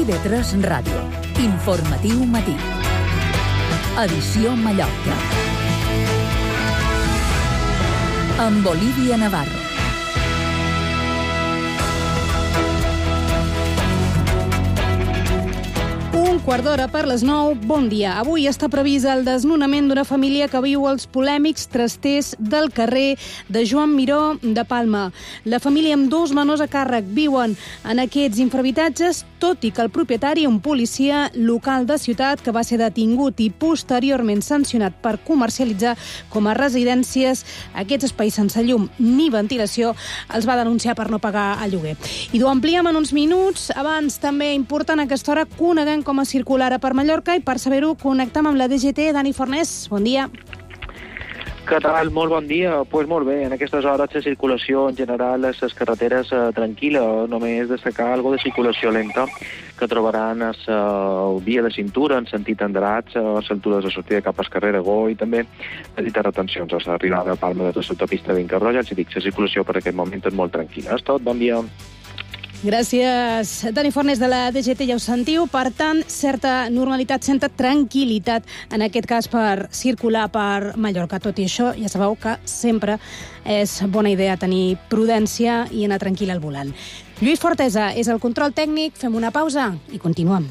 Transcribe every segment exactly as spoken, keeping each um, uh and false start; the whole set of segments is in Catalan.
I V tres Ràdio. Informatiu matí. Edició Mallorca. Amb Olivia Navarro. Un quart d'hora per les nou, bon dia. Avui està previst el desnonament d'una família que viu als polèmics trasters del carrer de Joan Miró de Palma. La família amb dos menors a càrrec viuen en aquests infrahabitatges, tot i que el propietari, un policia local de ciutat que va ser detingut i posteriorment sancionat per comercialitzar com a residències aquests espais sense llum ni ventilació, els va denunciar per no pagar el lloguer. I ho ampliem en uns minuts. Abans, també important a aquesta hora, coneguem com a circular per Mallorca, i per saber-ho connectem amb la D G T. Dani Fornés, bon dia. Què tal? Molt bon dia. Doncs pues molt bé, en aquestes hores la circulació en general a les carreteres eh, tranquil·la, només destacar algo de circulació lenta que trobaran a la via de cintura en sentit Andratx, a l'altura de la sortida cap al carrer Aragó, i també petites retencions a l'arribada a Palma de l'autopista Vincarroja. Els dic, la circulació per aquest moment és molt tranquil·la. És tot, bon dia. Gràcies, Dani Fornés de la D G T, ja ho sentiu. Per tant, certa normalitat, certa tranquil·litat, en aquest cas per circular per Mallorca. Tot i això, ja sabeu que sempre és bona idea tenir prudència i anar tranquil al volant. Lluís Fortesa és el control tècnic. Fem una pausa i continuem.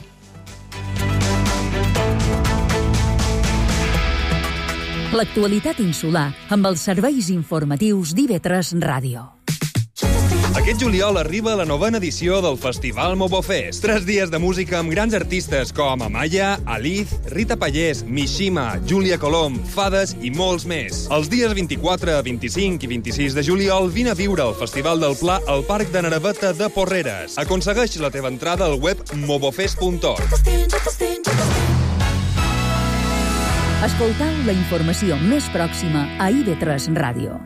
L'actualitat insular amb els serveis informatius d'I V tres Ràdio. Aquest juliol arriba la novena edició del Festival Mobofest. Tres dies de música amb grans artistes com Amaya, Aliz, Rita Pallés, Mishima, Júlia Colom, Fades i molts més. Els dies vint-i-quatre, vint-i-cinc i vint-i-sis de juliol vine a viure el Festival del Pla al Parc de Naraveta de Porreres. Aconsegueix la teva entrada al web mobofest punt org. Escoltau la informació més pròxima a I V tres Ràdio.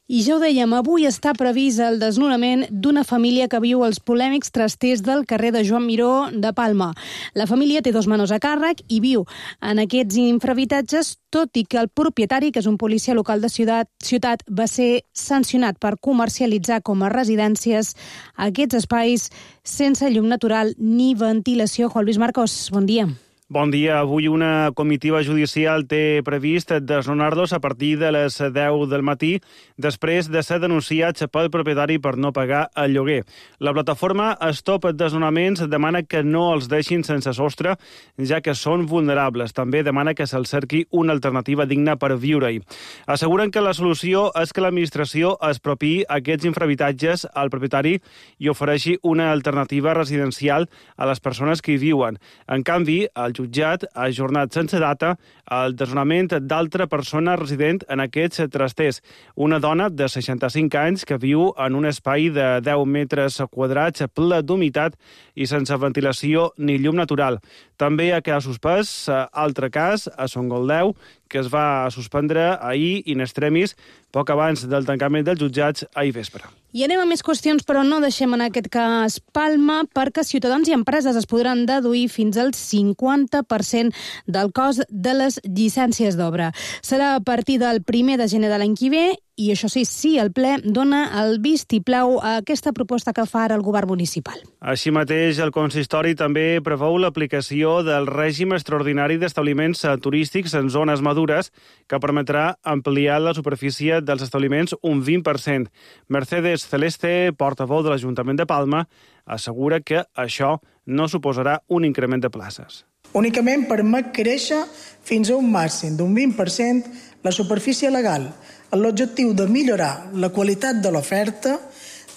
I ja ho dèiem, avui està previst el desnonament d'una família que viu als polèmics trasters del carrer de Joan Miró de Palma. La família té dos menors a càrrec i viu en aquests infrahabitatges, tot i que el propietari, que és un policia local de ciutat, ciutat va ser sancionat per comercialitzar com a residències aquests espais sense llum natural ni ventilació. Juan Luis Marcos, bon dia. Bon dia. Avui una comitiva judicial té previst desnonar-los a partir de les deu del matí, després de ser denunciats pel propietari per no pagar el lloguer. La plataforma Stop Desnonaments demana que no els deixin sense sostre, ja que són vulnerables. També demana que se'ls cerqui una alternativa digna per viure-hi. Asseguren que la solució és que l'administració expropiï aquests infrahabitatges al propietari i ofereixi una alternativa residencial a les persones que hi viuen. En canvi, el jutjat ha ajornat sense data el desnonament d'altra persona resident en aquests trasters. Una dona de seixanta-cinc anys que viu en un espai de deu metres quadrats ple d'humitat i sense ventilació ni llum natural. També ha quedat suspès altre cas a Son Goldeu, que es va suspendre ahir in extremis, poc abans del tancament dels jutjats ahir vespre. I anem a més qüestions, però no deixem en aquest cas Palma, perquè ciutadans i empreses es podran deduir fins al cinquanta per cent del cost de les llicències d'obra. Serà a partir del primer de gener de l'any que ve, i això sí, sí, el ple dona el vistiplau a aquesta proposta que fa ara el govern municipal. Així mateix, el consistori també preveu l'aplicació del règim extraordinari d'establiments turístics en zones madures, que permetrà ampliar la superfície dels establiments un vint per cent. Mercedes Celeste, portaveu de l'Ajuntament de Palma, assegura que això no suposarà un increment de places. Únicament permet créixer fins a un màxim d'un vint per cent la superfície legal, amb l'objectiu de millorar la qualitat de l'oferta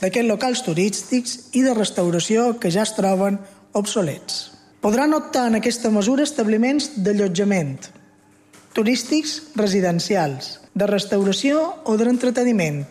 d'aquests locals turístics i de restauració que ja es troben obsolets. Podran optar en aquesta mesura establiments d'allotjament, turístics residencials, de restauració o d'entreteniment.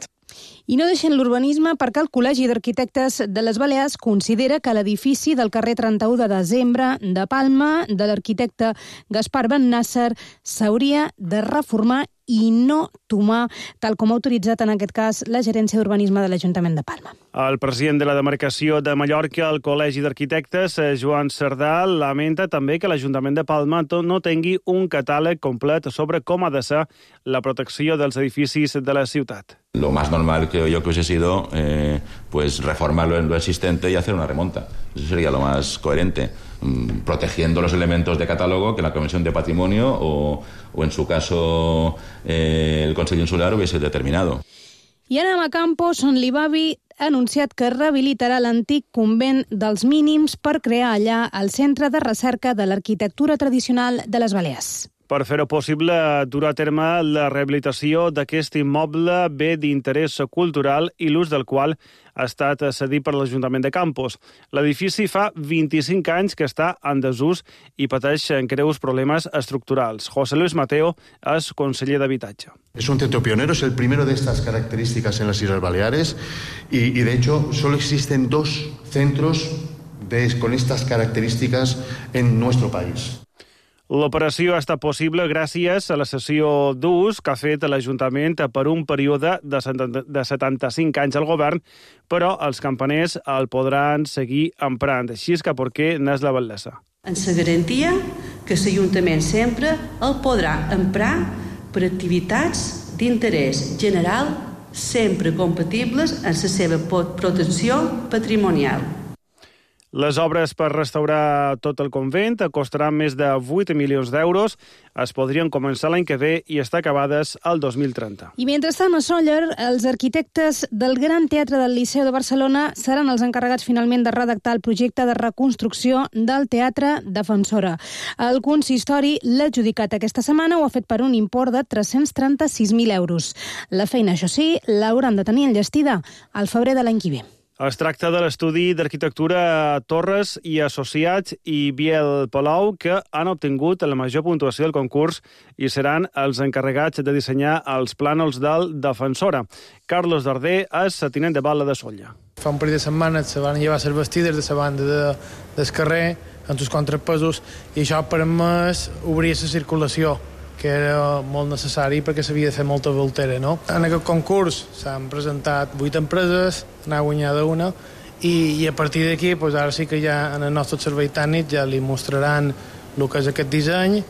I no deixen l'urbanisme perquè el Col·legi d'Arquitectes de les Balears considera que l'edifici del carrer trenta-u de desembre de Palma, de l'arquitecte Gaspar Ben Nasser, s'hauria de reformar i no tomar, tal com ha autoritzat en aquest cas la Gerència d'Urbanisme de l'Ajuntament de Palma. El president de la demarcació de Mallorca, el Col·legi d'Arquitectes, Joan Cerdà, lamenta també que l'Ajuntament de Palma no tingui un catàleg complet sobre com ha de ser la protecció dels edificis de la ciutat. Lo más normal creo yo que hubiese sido eh, pues reformarlo en lo existente y hacer una remonta. Eso sería lo más coherente, protegiendo los elementos de catálogo que la Comisión de Patrimonio o, o en su caso, eh, el Consell Insular hubiese determinado. I anem a Campos, on l'I B A B I ha anunciat que rehabilitarà l'antic convent dels Mínims per crear allà el Centre de Recerca de l'Arquitectura Tradicional de les Balears. Per fer-ho possible, durà a terme la rehabilitació d'aquest immoble bé d'interès cultural i l'ús del qual ha estat cedit per l'Ajuntament de Campos. L'edifici fa vint-i-cinc anys que està en desús i pateix greus problemes estructurals. José Luis Mateo és conseller d'Habitatge. Es un centro pionero, es el primero de estas características en las Islas Baleares y, y de hecho solo existen dos centros de, con estas características en nuestro país. L'operació ha estat possible gràcies a la cessió d'ús que ha fet l'Ajuntament per un període de setanta-cinc anys al govern, però els campaners el podran seguir emprant. Així és que per què n'és la Val·lesa. Ens garantia que l'Ajuntament sempre el podrà emprar per activitats d'interès general sempre compatibles amb la seva protecció patrimonial. Les obres per restaurar tot el convent costaran més de vuit milions d'euros. Es podrien començar l'any que ve i estar acabades el dos mil trenta. I mentrestant, a Sóller, els arquitectes del Gran Teatre del Liceu de Barcelona seran els encarregats finalment de redactar el projecte de reconstrucció del Teatre Defensora. El consistori l'ha adjudicat aquesta setmana, ho ha fet per un import de tres-cents trenta-sis mil euros. La feina, això sí, l'hauran de tenir enllestida al febrer de l'any que ve. Es tracta de l'estudi d'arquitectura Torres i Associats i Biel Palau, que han obtingut la major puntuació del concurs i seran els encarregats de dissenyar els plànols del Defensora. Carlos Darder és tinent de Bala de Solla. Fa un parell de setmanes se van llevar les vestides de la banda de, del carrer amb els contrapesos i això ha permès obrir la circulació, que era molt necessari perquè s'havia de fer molta voltera, no? En aquest concurs s'han presentat vuit empreses, n'ha guanyada una, i, i a partir d'aquí, doncs ara sí que ja en el nostre servei tècnic ja li mostraran el que és aquest disseny,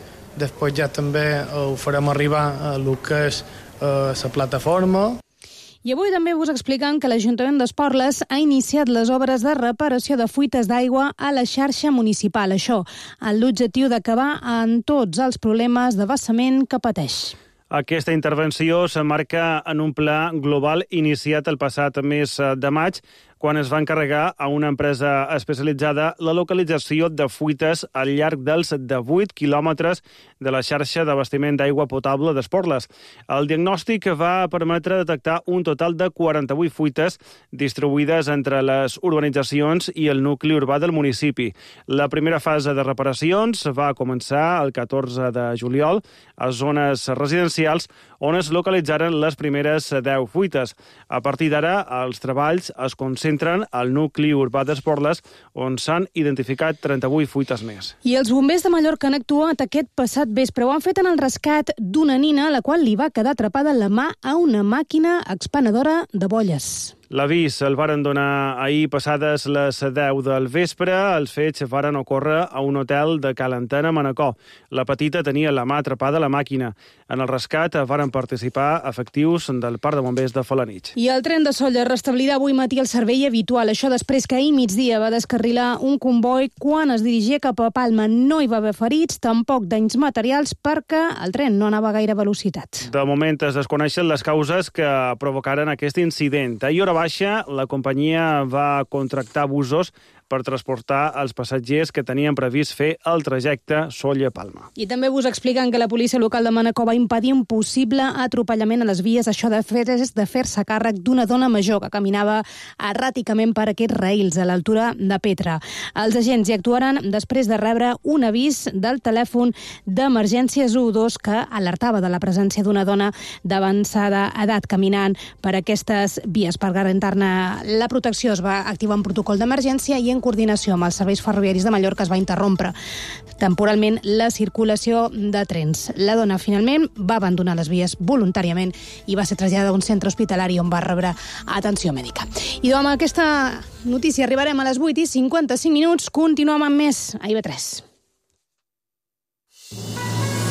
després ja també ho farem arribar a el que és eh, la plataforma. I avui també us explicam que l'Ajuntament d'Esporles ha iniciat les obres de reparació de fuites d'aigua a la xarxa municipal. Això, amb l'objectiu d'acabar amb tots els problemes de vessament que pateix. Aquesta intervenció s'emmarca en un pla global iniciat el passat mes de maig, quan es va encarregar a una empresa especialitzada la localització de fuites al llarg dels divuit quilòmetres de la xarxa d'abastiment d'aigua potable d'Esporles. El diagnòstic va permetre detectar un total de quaranta-vuit fuites distribuïdes entre les urbanitzacions i el nucli urbà del municipi. La primera fase de reparacions va començar el catorze de juliol a zones residencials on es localitzaren les primeres deu fuites. A partir d'ara, els treballs es concentren al nucli urbà d'Esporles, on s'han identificat trenta-vuit fuites més. I els bombers de Mallorca han actuat aquest passat vespre. Ho han fet en el rescat d'una nina a la qual li va quedar atrapada la mà a una màquina expenedora de bolles. L'avís el varen donar ahir passades les deu del vespre. Els fets varen ocórrer a un hotel de Calentana, Manacor. La petita tenia la mà atrapada a la màquina. En el rescat varen participar efectius del Parc de Bombers de Felanitx. I el tren de Sóller restablirà avui matí el servei habitual. Això després que ahir migdia va descarrilar un comboi quan es dirigia cap a Palma. No hi va haver ferits, tampoc danys materials, perquè el tren no anava a gaire velocitat. De moment es desconeixen les causes que provocaren aquest incident. Ahir hora baixa, la companyia va contractar busos per transportar els passatgers que tenien previst fer el trajecte Sóller-Palma. I també us expliquen que la policia local de Manacor va impedir un possible atropellament a les vies. Això de fer és de fer-se càrrec d'una dona major que caminava erràticament per aquests raïls a l'altura de Petra. Els agents hi actuaran després de rebre un avís del telèfon d'emergències u dos que alertava de la presència d'una dona d'avançada edat caminant per aquestes vies. Per garantir-ne la protecció es va activar un protocol d'emergència i en coordinació amb els serveis ferroviaris de Mallorca es va interrompre temporalment la circulació de trens. La dona finalment va abandonar les vies voluntàriament i va ser traslladada a un centre hospitalari on va rebre atenció mèdica. I amb aquesta notícia arribarem a les vuit i cinquanta-cinc minuts. Continuem amb més a I V tres.